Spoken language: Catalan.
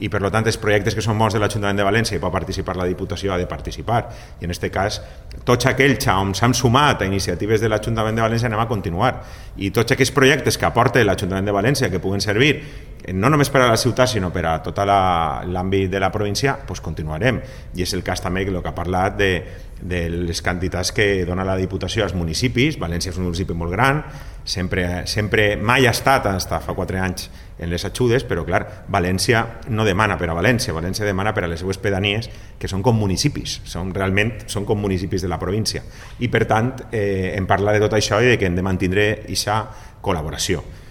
i per tant els projectes que són bons de l'Ajuntament de València i pot participar la Diputació ha de participar, i en aquest cas tots aquells on s'han sumat a iniciatives de l'Ajuntament de València anem a continuar, i tots aquells projectes que aporta l'Ajuntament de València que puguen servir no només per a la ciutat sinó per a tot l'àmbit de la província, doncs continuarem, i és el cas també que ha parlat de les quantitats que dona la Diputació als municipis. València és un municipi molt gran, sempre mai ha estat, fins fa 4 anys, en les ajudes, però clar, València no demana per a València, València demana per a les seues pedanies, que són com municipis, realment són com municipis de la província, i per tant em parla de tot això i de que hem de mantenir aquesta col·laboració.